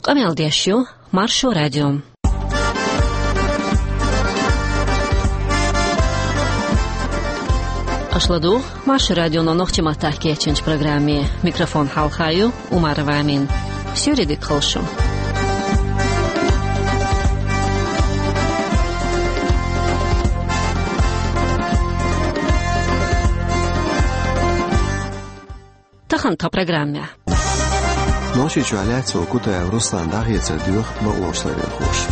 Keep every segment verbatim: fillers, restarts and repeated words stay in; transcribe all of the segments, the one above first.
Къамел деш ю Маршо радио. Аша ладугӀу Маршо радион нохчийн маттахь кечйинчу программе. Микрофон хьалха ю Умарова Амина. Суьйре дика хуьлда шун. Тахана тхан программехь. Нохчийчохь лаьцна волу Кутаев Руслан дӀахецар доьху бакъонашларъярхоша.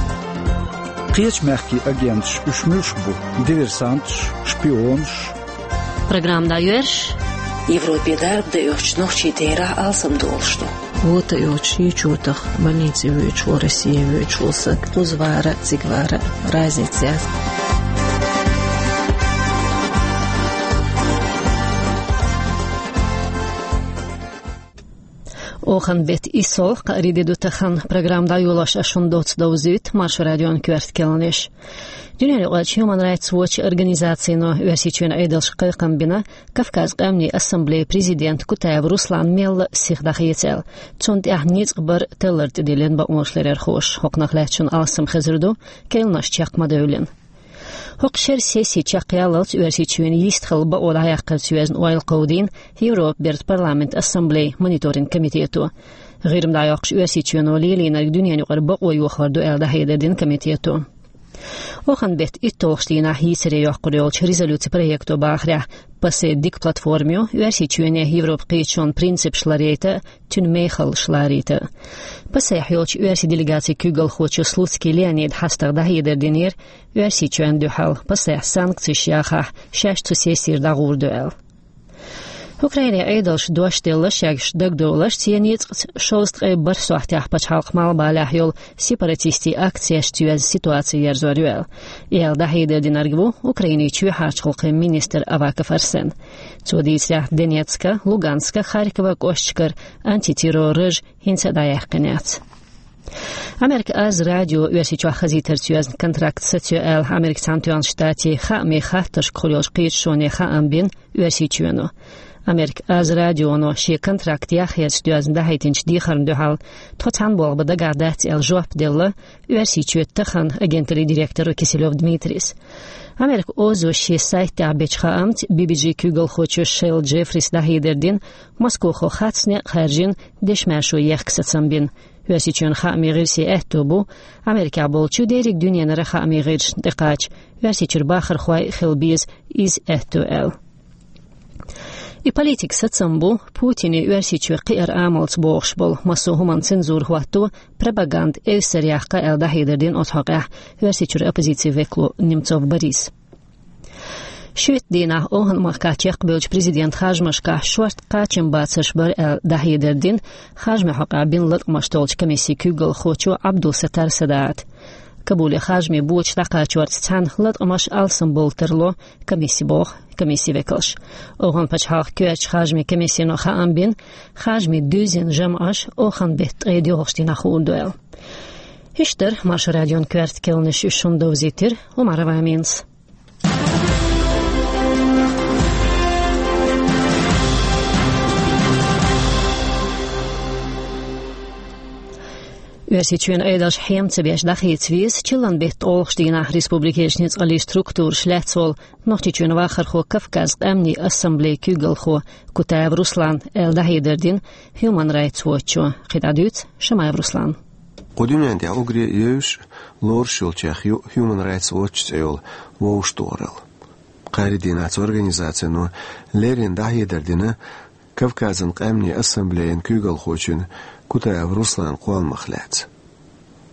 Кхечу мехкийн агенташ уьш муьлш бу? Диверсанташ, шпионаш? Программа дӀайоьрзуш. Европе дарба дан оьхучу нохчийн терахь алсам долуш ду. Вута йоцуш, йичотах больнице воьдуш волу, Россия воьдуш волу стаг, кхуза вара а, цига вара а, разница яц. Оханан беттан иссалгӀа, кхаарин де ду тахана. Программа дӀайолош ас шуна доцца довзуьйту Маршо радион коьрта керланаш. Дуьненаюкъарчу Human Rights Watch организацино Оьрсийчоьнан Ӏедалшка кхайкхам бина Кавказан къаьмнийн ассамблеян президент Кутаев Руслан мелла а сиха дӀахеца аьлла. Цунна тӀехь ницкъ бар таллар тӀедиллина бакъонашларъярхоша. ХӀокхунах лаьцна шуна алсам хезар ду, керланаш чекх ма девлла. ХӀокху шеран сесси чекхъяллалц Оьрсийчоьнан йистхилла бакъо дӀаяккхарца йоьзна ойла кховдийна Европан бертан парламентан ассамблеян мониторинг комитето. ГӀирма дӀайоккхуш Оьрсийчоьно лелийнарг дуьненаюкъара бакъо йохор ду аьлла дӀахьедар дина комитето. Оханан беттан итталгӀачу дийнахь йийцаре йоккхур йолчу резолюцин проекто бахарехь, ПАСЕ дика платформа ю Оьрсийчоьне Европан кхеташонан принципаш ларъяйта а, цуьнан мехаллаш ларийта а. ПАСЕхь йолчу оьрсийн делегацин куьйгалхочо Слуцкий Леонида хьастагӀа дӀахьедар динера Оьрсийчоьнна дуьхьал, ПАСЕхь санкцеш яхахь, шаьш цу сессера дӀагӀур ду аьлла. Украинин Ӏедалша дош делла шаьш дагадовларш цӀен ницкъаца шовзткъе бархӀ сохьтехь пачхьалкхан малхбалехь йолу сепаратистийн акцешца йоьзна ситуаци ерзор ю аьлла. И аьлла дӀахьедар динарг ву Украинин чоьхьарчу гӀуллакхийн министр Аваков Арсен. Цо дийцарехь, Донецкан, Луганскан, Харькован кӀошташкара антитеррор раж хӀинца а дӀаяьккхина яц. Америка Аз радио Оьрсийчохь хазийтарца йоьзна контракт сацайо аьлла Америкин Цхьаьнатоьхначу Штатийн хаамийн хаттаршка хуьлуш йолчу кхеташоне хаам бина Оьрсийчоьно. Америка Аз радионо шен контракт яхъярца доьзна дӀахьийтинчу дехарна дуьхьал тхо цхьаьна болх бан дагахь дац аьлла жоп делла Оьрсийчоьнан таханан агенталлин директоро Киселёв Дмитрийс. Америка Озо шен сайтехь бечу хаамца Би-Би-Джи куьйгалхочо Шелла Джеффрис дӀахьедар дина, Москохо хатта некъ хаьржина, дешмаьршо ехка сацам бина. Оьрсийчоьнан хаамийн гӀирсийн аьтто бу Америкехь болчу, дерриг дуьненара хаамийн гӀирсашна тӀекхача, Оьрсийчуьра бахархой а хила беза иза аьтто аьлла. И политикан сацам бу Путине Оьрсийчоь кхиар амалца бохуш болу, массо а хӀуманна цензура хӀотто, пропаганда эвсара яккха аьлла дӀахьедар дина оцу хьокъехь Оьрсийчуьра оппозицин векало Немцов Бориса. Шийтта дийнахь Оханан махкахь чекхбевллачу президентан харжамашкахь шорта кхачамбацарш бара аьлла дӀахьедар дина харжамийн хьокъехь бина латкъамаш толлучу комиссин куьйгалхочо Абдул-Саттар Садаата. Кабуле харжамийн боча дӀакхачорца цхьаьна латкъамаш алсамбовла тарло комисси, боху комиссин векалша. Оханан пачхьалкхан коьртачу харжамийн комиссино хаам бина, харжамийн дуьззина жамӀаш Оханан беттан ткъе доьалгӀачу дийнахь хуур ду аьлла. Иштта дара Маршо радион коьрта керланаш, уьш шуна довзийтира Умарова Аминас. Оьрсийчоьнан Ӏедалша хьем ца беш дӀахеца веза чиллан беттан ткъолгӀачу дийнахь республикерчу ницкъаллин структураша лаьцна волу Нохчийчоьнан вахархо, Кавказан къаьмнийн ассамблеян куьйгалхо Кутаев Руслан аьлла дӀахьедар дина Human Rights Watch-о. КхидӀа дуьйцу Шамаев Руслана. Кху дуьнен тӀехь уггаре а евзаш, лоруш йолчех ю Human Rights Watch цӀе йолу вовшахтохаралла. Кхаарин дийнахь цу организацино леррина дӀахьедар дина Кавказан къаьмнийн ассамблеян куьйгалхочун Кутаев Русланан кхолламах лаьцна.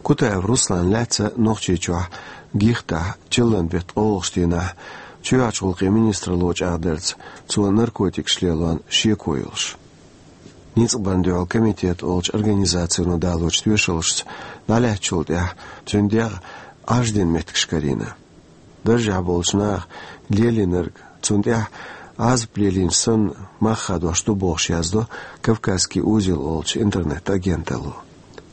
Кутаев Руслан лаьцна Нохчийчохь гихтахь чиллан беттан ткъолгӀачу дийнахь чоьхьарчу гӀуллакхийн министралло чӀагӀдарца, цо наркотикаш лелорна шеко йолуш. Ницкъ барна дуьхьал комитет олучу организацино далочу тоьшаллашца, дӀалаьцначул тӀаьхьа цуьнан дегӀ Ӏаж дина меттигаш карийна. Даржехь болчу наха лелийнарг, цунна тӀехь Ӏазап лелийна санна, мах хадош ду бохуш яздо «Кавказский узел» олучу интернет-агенталло.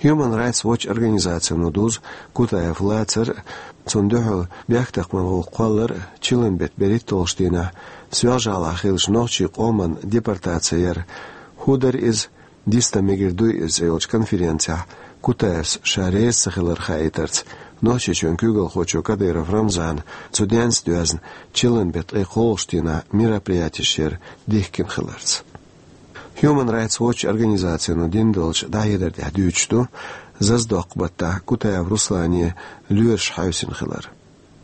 Human Rights Watch организацино дузу Кутаев лацар а, цунна дуьхьал бехктакхаман гӀуллакх кхоллар а, чиллан беттан берхӀитталгӀачу дийнахь Соьлжа-ГӀалахь хиллачу нохчийн къоман депортаци яр а. «ХӀун дара иза? Дистан мегар дуй иза» цӀе йолчу конференцехь Кутаевс ша реза ца хилар хаийтарца, Нохчийчоьнан куьйгалхочо Кадыров Рамзана цу денца доьзна, чиллан беттан ткъе кхоалгӀачу дийнахь мероприятеш яр дихкина хиларца. Human Rights Watch организацино дина долчу дӀахьедар тӀехь дуьйцуш ду, Зазадоккху-баттахь Кутаев Руслане лоьраш хьаьвсина хилар.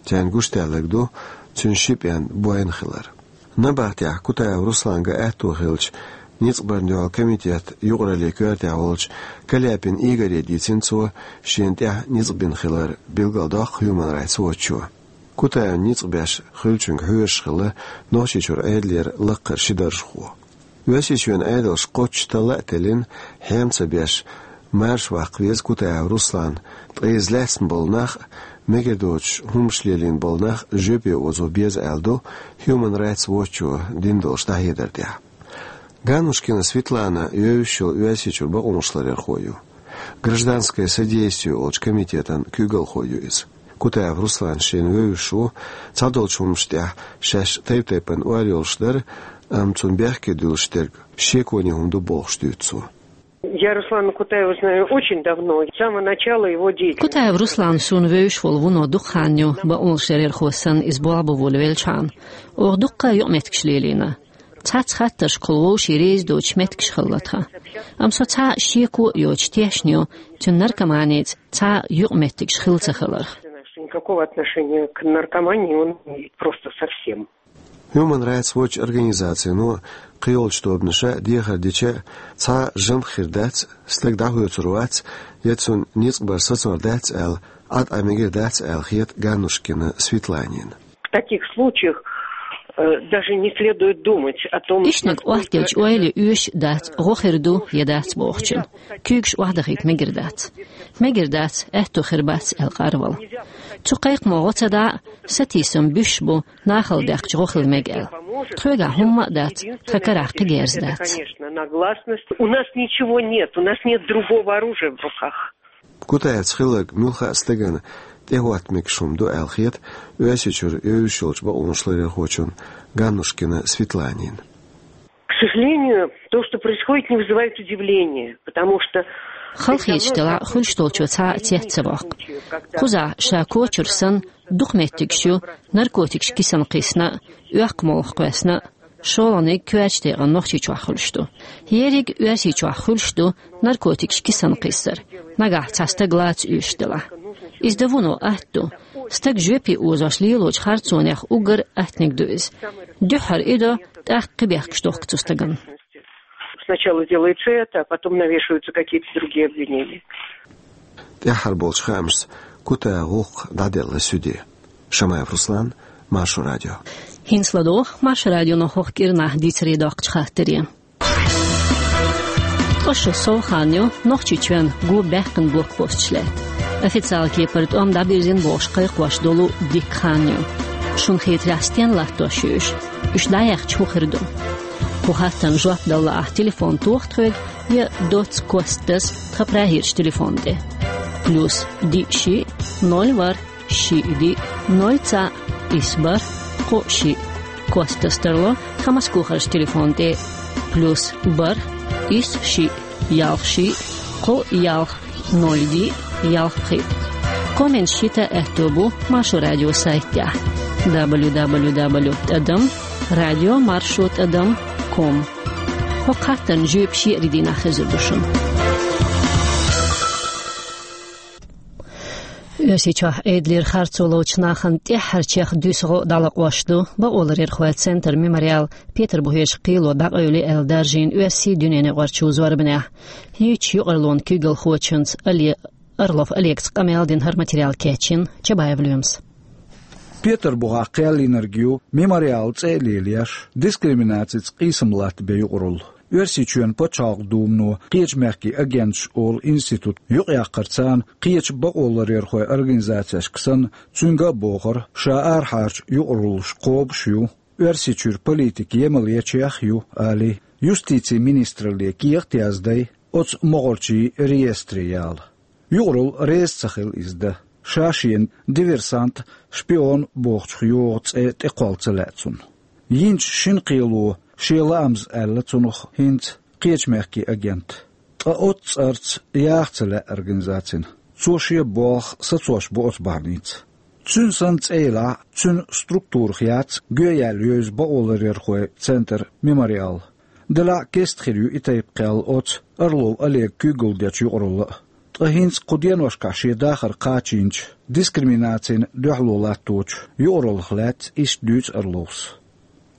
Царна гуш даьлларг ду цуьнан ши пӀен бойна хилар. Набахтехь Кутаев Русланга аьтто хилча, ницкъ барна дуьхьал комитет юкъараллин коьртехь волчу Каляпин Игоре дийцина цо, шена тӀехь ницкъ бина хилар, билгалдоккху Human Rights Watch-о. Кутаевна ницкъ беш хуьлучуьнга хьоьжуш хилла Нохчийчуьра Ӏедалера лакхара ши даржхо. Оьрсийчоьнан Ӏедалша кхоччуш талла а теллина, хьем ца беш, марша ваккха веза Кутаев Руслан, ткъа иза лаьцна болу нах а, мегар доцуш хӀуманаш лелийна болу нах а жоьпе озо беза аьлла ду Human Rights Watch-о дина долчу дӀахьедар тӀехь. Ганнушкина Светлана евзаш йолу Оьрсийчуьра бакъонашларъярхо ю. Гражданское содействие олучу комитетан куьйгалхо ю иза. Кутаев Руслан шена вевзаш ву, цхьадолчу хӀуманаш тӀехь шаьш тайп-тайпана ойла йолуш дара, амма цунна бехке дуьллуш дерг шеконе хӀума ду бохуш дуьйцу цо. Я Руслана Кутаева знаю очень давно, с самого начала его деятельности. Кутаев Руслан суна вевзаш волу вуно дукха хан ю, бакъонашларъярхо санна иза болх бан волавеллачхьана. Оха дуккха а юкъаметтигаш лелийна. Цхьацца хаттаршкахула вовшийн реза доцуш меттигаш хилла тхан. Амма со цхьа а шеко а йоцуш тешна ю, цуьнан наркоманица цхьа а юкъаметтигаш хилла ца хиларх. Никакого отношения к наркомании он не имеет, просто совсем. Human Rights Watch организацино кхийолчу тобанаша дехар дича, цхьа а жамх хир дац, стаг дӀахоьцур вац, я цунна ницкъ бар сацор дац аьлла, Ӏад Ӏа мегар дац аьлла хета Ганнушкина Светланина. В таких случаях, э, даже не следует думать о том, Иштаниг насколько охьадиллича ойла я оьшуш а дац, гӀо хир ду я дац бохучун. Куьйгаш охьадахийта мегар дац. Мегар дац, аьтто хир бац аьлла къарвала. Цу кхайкхамо гӀо ца дӀа а, сатийсам буьсуш бу, нахала даьккхича гӀо хила мега аьлла. Тхоьгахь хӀумма а дац, тхан карахь кхин герз дац. Конечно, на гласность. У нас ничего нет, у нас нет другого оружия в руках. Кутаевца хилларг муьлхха а стагана тӀехӀотта мегаш хӀума ду аьлла хета Оьрсийчуьра евзаш йолчу бакъонашларъярхочун Ганнушкина Светланина. К сожалению, то, что происходит, не вызывает удивления, потому что... Халахеташ делахь, хуьлуш долчо цхьа а цец ца воккху. Кхузахь ша кочара санна, дукха меттигаш ю, наркотикаш кисана кхиссина а, оьккху молха кхоьссина а, шолгӀаниг коьртачу декъана Нохчийчохь хуьлуш ду. Ерриг Оьрсийчохь хуьлуш ду наркотикаш кисана кхиссар, нагахь цхьа стаг лаца оьшуш делахь. Иза дан вуно атта ду. Стаг жоьпе озош лелочу харцонех уггар а аттаниг ду иза. Дуьххьара и до, тӀаккха кхин бехкаш дохку цу стагана. Сначала делается это, а потом навешиваются какие-то другие обвинения. ТӀаьххьара болчу хаамашца Кутаев гӀуллакх дӀаделла суьде. Шамаев Руслан, Маршо радио. ХӀинца ладогӀа Маршо радионо хӀокху кӀирнахь дийцаре доккхучу хаттаре. Ткъа шо сов хан ю, Нохчийчоьнна го баьккхина блокпосташ лаьтта. Официалан кепара тӀом дӀабирзина бохуш кхайкхош долу дикка хан ю. Шуна хетарехь, стенна латтош ю уьш? Уьш дӀаяьхча, хӀун хир ду? Кху хаттарна жоп дала лаахь, телефон тоха тхоьга я доцца Костас тхан прагерчу телефон тӀе. Плюс диъ шиъ, ноль ворхӀ, шиъ диъ, ноль цхьаъ, исс бархӀ, кхоъ шиъ. Костас тарло тхан Москохарчу телефон тӀе: плюс бархӀ, исс шиъ, ялх шиъ, кхоъ ялх, ноль диъ, ялх пхиъ. Комменташ хӀитта аьтто бу Маршо радион сайтехь: дабл ю дабл ю дабл ю тӀадам радио маршо тӀадам ком. ХӀокху хаттарна жоьпаш еарин дийнахь хезар ду шуна. Оьрсийчохь Ӏедалера харцо ловчу нахана тӀаьххьарчех дуьсу гӀо дӀалакъош ду бакъоларъярхойн центр «Мемориал» Петарбухехь кхело дӀакъевли аьлла даржийна оьрсийн дуьненаюкъарчу зорбанехь. Йийцачу юкъараллин куьйгалхочуьнца Оле-, Орлов Олега къамел дина хӀара материал кечйина Чабаев Лоьмас. Петарбухехь кхел йинарг ю «Мемориал» цӀе а лелош, дискриминацица къийсам латтабен юкъаралла. Оьрсийчоьнан пачхьалкхан думано «Кхечу мехкийн агенташ» олу институт юкъаяккхар царна кхечу бакъоларъярхойн организацешка санна, цуьнга а бохура, ша арахьарчу юкъараллаш кхобуш ю, Оьрсийчуьра политика емал ечех а ю, олий, юстицин министралле кехат а яздай, оцу могӀарчийн реестре яла. Юкъаралла реза ца хилла иза дан, ша шена диверсант, шпион бохучух йогӀу цӀе тӀекхолла ца лаьа цунна. Йинчу шина кхело шен лаамза аьлла цунах хӀинца «Кхечу мехкийн агент». Ткъа оццу цӀарца яха ца лаьа организацина. Цо шен болх сацош бу оцу бахьаница. Цуьнан санна цӀе елахь а, цуьнан структурах яц гоьяьлла евза бакъоларъярхойн центр «Мемориал». Делахь а кеста хир ю и тайпа кхел оцу Орлов Олега куьйгалла дечу юкъаралла а. Ткъа хӀинца кху деношкахь шен дахар кхачийначу дискриминацина дуьхьало латточу юкъараллах лаьцна иштта дуьйцу Орловс.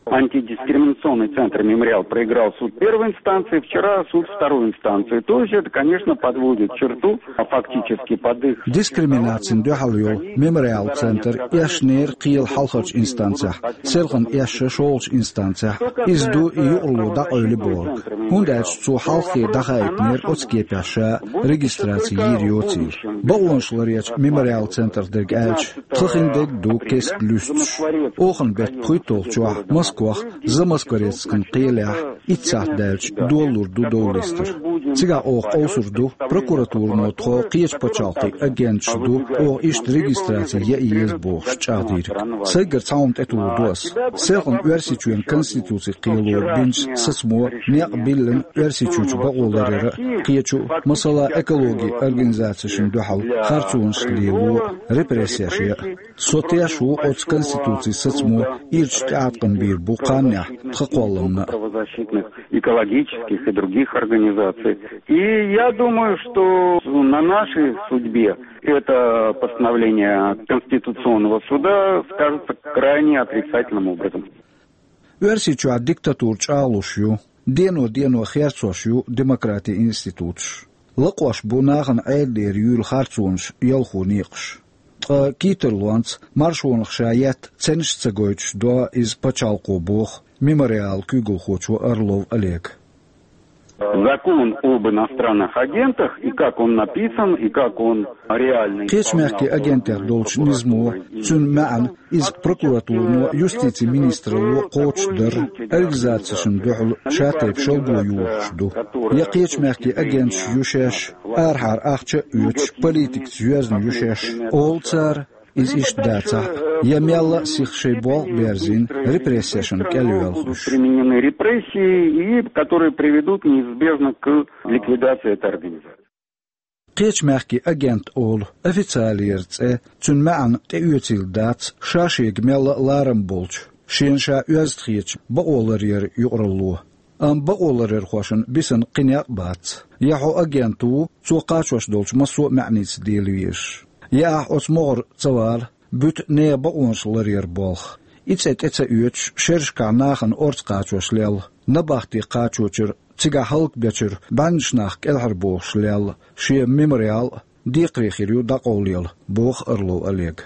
Антидискриминационный центр «Мемориал» проиграл суд первой инстанции, вчера суд второй инстанции. То есть это, конечно, подводит черту, а, фактически под их... Дискриминацина дуьхьал йолу «Мемориал» центр эшнера кхелан хьалхарчу инстанцехь, селхана эшна шолгӀачу инстанцехь. Иза ду и юкъаралла дӀакъевли бохург. ХӀунда аьлча цо хьалххе дӀахаийтинера оцу кепехь ша регистраци йийр йоцийла. Бакъонаш ларъечу «Мемориал» центрах дерг аьлча, тхан хин дерг ду кеста луьстуш. Оханан беттан пхийтталгӀачохь Москвахь, Замоскворецкан кхелехь, итт сахьт даьлча долалур ду дов листар. Цигахь оха къовсур ду, прокуратурано тхо кхечу пачхьалкхийн агенташ ду, оха иштта регистраци ян еза бохуш чӀагӀдийриг. Сайгара цхьа хӀума тӀетуллур ду ас. Селхана Оьрсийчоьнан Конституцин кхело бинчу сацамо некъ биллина Оьрсийчуьрчу бакъоларъяран а, кхечу а, масала, экологин организацешна дуьхьал харцонаш лело а, репрессеш ян а. Со теш ву оцу Конституцин сацамо ирча тӀеӀаткъам бийр бу кханнехь тхан кхолламна а. Правозащитных, экологических и других организаций. И я думаю, что на нашей судьбе это постановление Конституционного суда скажется крайне отрицательным образом. Оьрсийчохь диктатура чӀагӀлуш ю, дено-дено херцош ю демократин институташ. Лакхош бу нахана Ӏедалера юьйлу харцонаш ялхо некъаш. Ткъа кийтарлонца маршонах ша етта ценаш а ца гойтуш до иза пачхьалкхо, боху «Мемориалан» куьйгалхочо Орлов Олега. Закон об иностранных агентах, и как он написан, и как он реально исполнял... Кхечу мехкийн агентех долчу низамо, цуьнан маьӀна, иза прокуратурано, юстицин министралло кхочушдарра, организацешна дуьхьал шатайпа шалго юхуш ду. Я кхечу мехкийн агенташ ю шаьш, арахьара ахча а оьцуш, политикаца йоьзна ю шаьш, олу цара, иза иштта дацахь а, я мелла а сиха шайн болх а берзийна, репрессешна кӀел йоьлхуш. Применены репрессии, и которые приведут неизбежно к ликвидации этой организации. Кхечу мехкийн агент олу официалера цӀе, цуьнан маьӀна тӀеоьцийла дац ша шега мелла а ларам болчу, шена ша оьзда хетачу бакъоларъяран юкъаралло. Амма бакъоларъярхошна бисина кхин некъ а бац. Я хьо агент ву, цо кхачош долчу массо а маьӀница дела везаш, я ахь оцу могӀара ца вала, буьту нехан бакъонаш ларъяран болх. И цӀе тӀе ца оьцуш, шерашкахь нахана орца кхачош лелла, набахте кхачочуьра, цигахь хӀаллакбечуьра бӀеннаш нах кӀелхьарбохуш лелла шен «Мемориал» а декхаре хир ю дӀакъовлаелла, боху Орлов Олега.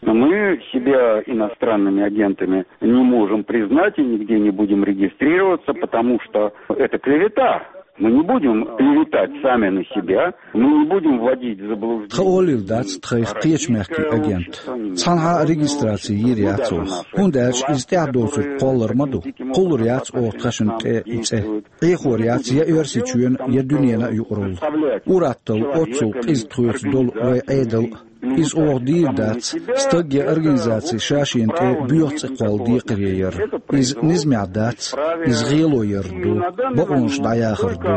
Мы себя иностранными агентами не можем признать и нигде не будем регистрироваться, потому что это клевета. Мы не будем клеветать сами на себя, мы не будем вводить в заблуждение. Тхан олийла дац тхайх кхечу мехкийн агент. Цхьанхьа а регистраци йийр яц оха, хӀунда аьлча иза тӀаьхьа доцург кхоллар ма ду. Кхуллур яц оха тхаьшна тӀе и цӀе. Ӏехор яц я Оьрсийчоьнан, я дуьненан а юкъаралла. Ур-атталла оццул къиза тхоьца долу вайн Ӏедал а. Иза оха дийр дац, стаг я организаци ша шена тӀе боьха цӀе кхолла декхаре яр. Иза низамехь дац, иза гӀело яр ду, бакъонаш дӀаяхар ду.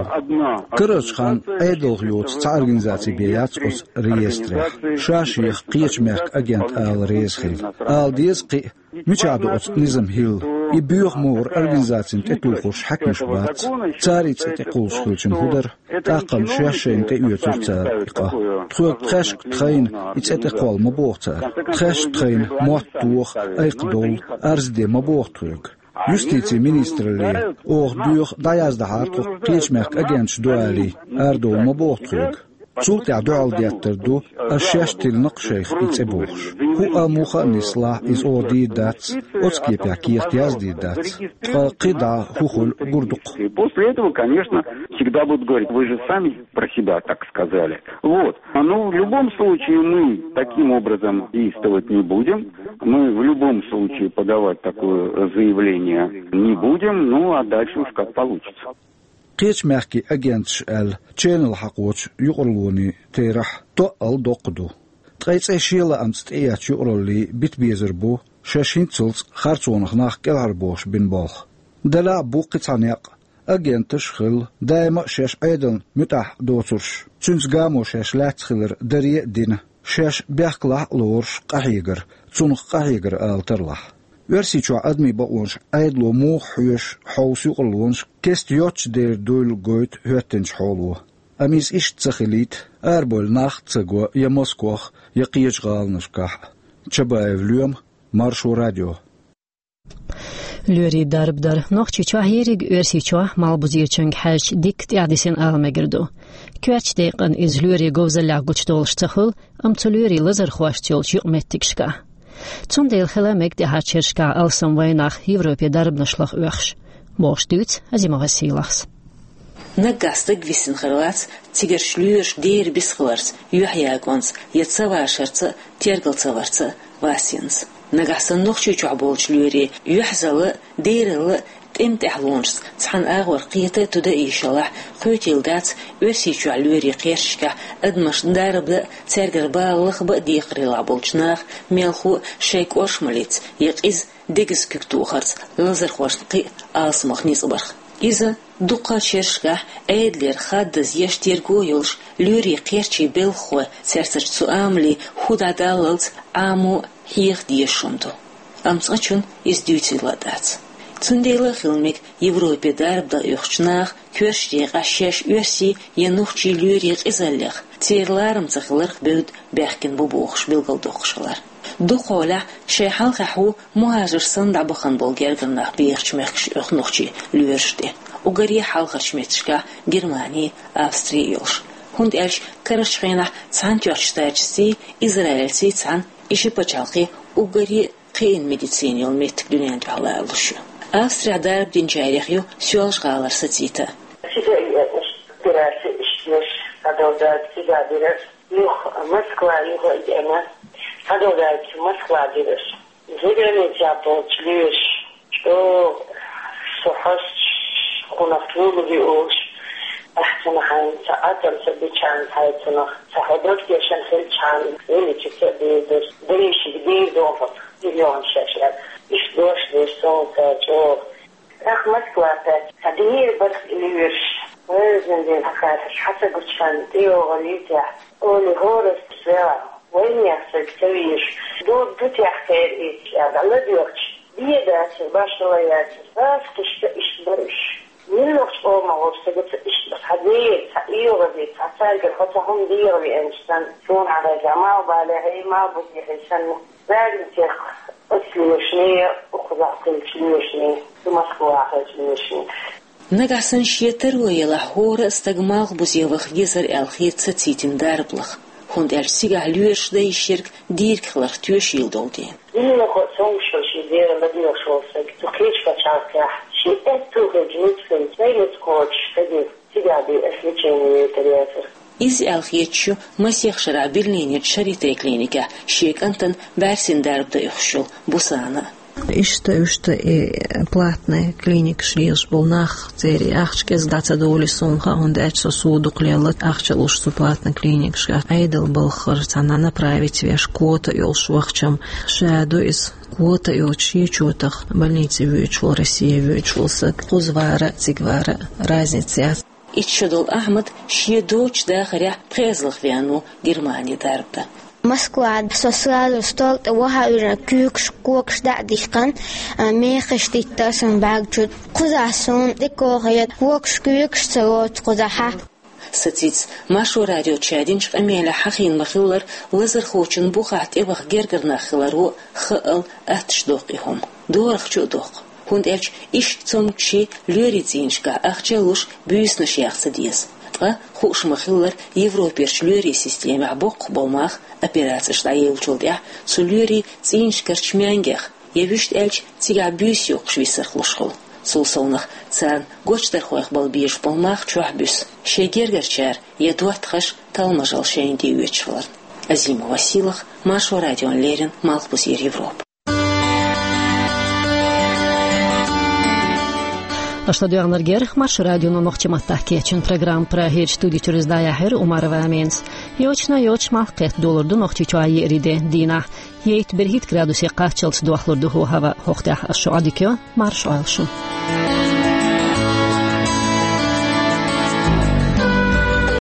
Карарчу хенахь Ӏедалх йоцу цхьа организаци бен яц оцу реестрехь. Ша шех кхечу мехкан агент ала реза хилла. Ала деза кхин а, мичахь ду оцу низам хӀилла? И боьха могӀара организацина тӀетухуш хьаькамаш бац. Цара и цӀе тӀекхуллуш хилча хӀун дара? ТӀаккха-м шаьш шайна тӀеоьцура цара и къа. Тхоьга тхаьшка тхайна и цӀе тӀекхолла ма боху цара. Тхаьш тхайна мотт тоха, айкх довла, арз де ма боху тхоьга. Юстицин министралле, оха доьху, дӀаяздахьара тхо кхечу мехкан агенташ ду алий, арадовла ма боху тхоьга. Цул тӀаьхьа дуьхьал деттар ду, ас шаьш тиллина-кх шайх и цӀе бохуш. ХӀуъа муха а нислахь, иза оха дийр дац, оцу кепехь кехат яздийр дац. Ткъа кхидӀа хӀун хуьлу гур ду-кх. И после этого, конечно, всегда будут говорить: «Вы же сами про себя так сказали». Вот. Ну, в любом случае мы таким образом действовать не будем. Мы в любом случае подавать такое заявление не будем. Ну, а дальше уж как получится. Кхечу мехкийн агенташ аьлла ченал хьакхочу юкъараллин терахь тоъал доккха ду. Ткъа и цӀе шен лаамца тӀеэцначу юкъараллин бита безар бу шаьш хӀинццалц харцонах нах кӀелхьарбохуш бина болх. Делахь а бу кхин цхьа некъ, Агенташ хилла, даима а шаьш Ӏедална муьтӀахь доцурш, цуьнца гамо шаьш лаьцна хилар даре а дина, шаьш бехкалахь а лоруш къахьегар, цунах къахьегар ала тарлахь. Оьрсийчохь адамийн бакъонаш Ӏедало муха хьоьшу хьовса юкъарлонаш кеста йоццуш дер дуйла гойту хӀоьттинчу хьоло. Амма иза иштта ца хилийта, арабевлла нах а ца го я Москвахь, я кхечу гӀаланашкахь. Чабаев Лоьма, Маршо радио. Лоьрийн дарба дар Нохчийчохь ерриг Оьрсийчохь малхбузерчуьнга хьаьжча дикка тӀаьхьадисина ала мегар ду. Коьртачу декъана иза лоьрийн говзаллехь гучудолуш ца хуьлу, амма цу лоьрийн лазархошца йолчу юкъаметтигашкахь. Цундела хила мега тӀаьхьарчу шерашкахь алсам вайнах Европе дарбанаш лаха оьхуш, бохуш дуьйцу Азимова Сийлахьс. Наггахь стаг висина хир вац цигарчу лоьраша дера бисхиларца, юьхьъягонца я ца вашарца а, тергал ца варца а васенца. Нагахь санна Нохчийчохь болчу лоьрийн юьхьазалла а, дералла а тӀеман тӀаьхьалонашца цхьана агӀор кхета а, туда а йиш ялахь, кхетийла дац Оьрсийчохь лоьрийн кхерчашкахь адамашна дарба дан а, цаьргара бала лаха бан а декхарийлахь болчу наха мелхо а шайн кӀоршамаллица я къиза дегаза куьг тухарца лазархошна кхин а алсамох ницкъ барх. Иза дуккха а шерашкахь Ӏедалера хаддаза еш терго а йолуш, лоьрийн кхерчийн белхахой, цаьрцачу цу амале хӀу дӀадаллалц Ӏамо а хьеха дезаш хӀума ду. Амма цкъачунна иза дуьйцийла а дац. Цундела а хила мега Европе дарба дан оьхучу наха коьртачу декъехь шаьш оьрсийн я нохчийн лоьрийн къизаллех, церан ларам ца хиларх бевдда баьхкина бу бохуш билгалдоккхуш хилар. Дукхахьолехь шайн хьалхахь ву мухӀажарш санна дӀабахана болу гергара нах бехачу мехкашка оьху нохчийн лоьраш тӀе. Уггаре а хьалхарчу меттигашкахь Германи, Австри а йолуш. ХӀунда аьлча карарчу хенахь Цхьаьнатоьхначу Штаташций, Израильций цхьаьна и ши пачхьалкхе уггаре а кхиъна медицина йолу меттиг дуьнен тӀехь лоруш ю. Австрехь дарба динчарех ю Соьлжа-ГӀалара Сацита. Цига а оьхуш, операци иштта еш, схьадолу дарба цига а дира. Юха Москва, юха а деана, схьадолу дарба Москва дира. Зеленый цӀа болчу лоьраша чӀогӀа со хьоьстуш, хӀунах тӀулуги олуш, ахь цунах хьайна ца Ӏатам ца бичан хьай цунах ца хьо дог тешан хилчхьана, величица а дийр дерш, дерришиг дийр дохуш, миллион шаьш аьлла. Иштта дош деш суна цара чӀогӀа. ТӀаккха Москва тӀе цхьа дийр барх и лоьраш, вевзина дийр хьакхаьрхьаш хьан ца гучхан тӀейогӀу лийтехь, оли хӀорас вела, вайнех саг ца вийш, ду, ду техкера иза аьлла, ладоьгӀча, бен дацара, башхала яцара, бац кхишта иштта бараш. Миллахчу къомах волчу сагаца иштта цхьа дера, цхьа оьгӀазе, цхьа цаьргара хьо цхьа хӀума дегӀан веанчу санна, суна хьан хеза, малхбалехь, малхбузехь санна, Радницех оцу лоьрашний, укхазахь хиллачу лоьрашний, Москвахь хиллачу лоьрашний. Нагахь санна шен таро елахь, хӀора а стаг малхбузе ваха везара аьлла хета Сацитина дарба лаха, хӀунда аьлча цигахь лоьраш дан йиш ерг дийриг хиларх тоьшийла долу дела. Динлахо а цомгуш йолу шен дера ладоьгӀуш волу стаг, цу кхечу пачхьалкхехь шен аьтту хилча нуьцкъала, сайн нуьцкъ кхочуш стаге цигахь бен ас лечение яйтар яцара. Иза аьлла хеташ ю масех шарахь Берлинерчу Шарите клиникехь шен кӀантана бӀаьрсина дарба дан оьхуш йолу Бусана. Иштта, иштта и платный клиникаш лелаш болу нах, церан ахча кӀезиг дӀа ца довлий суна хаьа, хӀунда аьлча со суо дукха лелла ахча луш цу платный клиникашкахь. Ӏедал балхара цхьана направить веш, квота йолуш вахчам ша ду иза. Квота йоцуш шен чотах больнице воьдуш волу, Россия воьдуш волу саг кхуза вара а, цига вара а разница яц. Итт шо долу Ахьмад шен доцучу дахарехь пхеразлах веана ву Германи дарба дан. Москва, со сразу стол тӀе ваха а вижина, куьйгаш, когаш дӀа а дихкина, а, мехаш диттар сан бӀаьрг чу. Кхузахь суна тӀе кохе, когаш, куьйгаш ца воцу кхузахь. Сацита Маршо радиоца динчу къамелехь хьахийна ма-хиллара, лазархочун бухахь тӀеваха гергара нах хиларо хаал атташ доккху и хӀума. ДорахчоӀ доккху. ХӀунда аьлча иштта цомгуший лоьрийн цӀийнашкахь ахча а луш, буьйсанаш яха ца деза. Ткъа, хууш ма-хиллара, Европерчу лоьрийн системехь боккхух болу мах, операцеш дӀаеллачул тӀаьхьа цу лоьрийн цӀийнашкарчу маьнгех, я вуьшта аьлча, цигахь буьйса йоккхуш висарх луш хуьлу. Цул совнах, царна гочдархойх бала безаш болу мах чохь буьсу, шайн гергарчара я доттагӀаша талмажалла шайна тӀеоьцуш валарна. Азимова Сийлахь, Маршо радиона леррина, Малхбузера Европа. Аша ладоьгӀнарг яра Маршо радион нохчийн маттахь кечйина программа. Прагерчу студи чуьра иза дӀаяьхьира Умарова Аминас. Йочана йоцуш малх кхетта долур ду Нохчийчохь еарин де дийнахь. Ейтта берхӀитта градусе кхаччалц дохлур ду хӀаваъ. ХӀокху тӀехь ас шуьга Ӏадика йо, марша Ӏойла шу.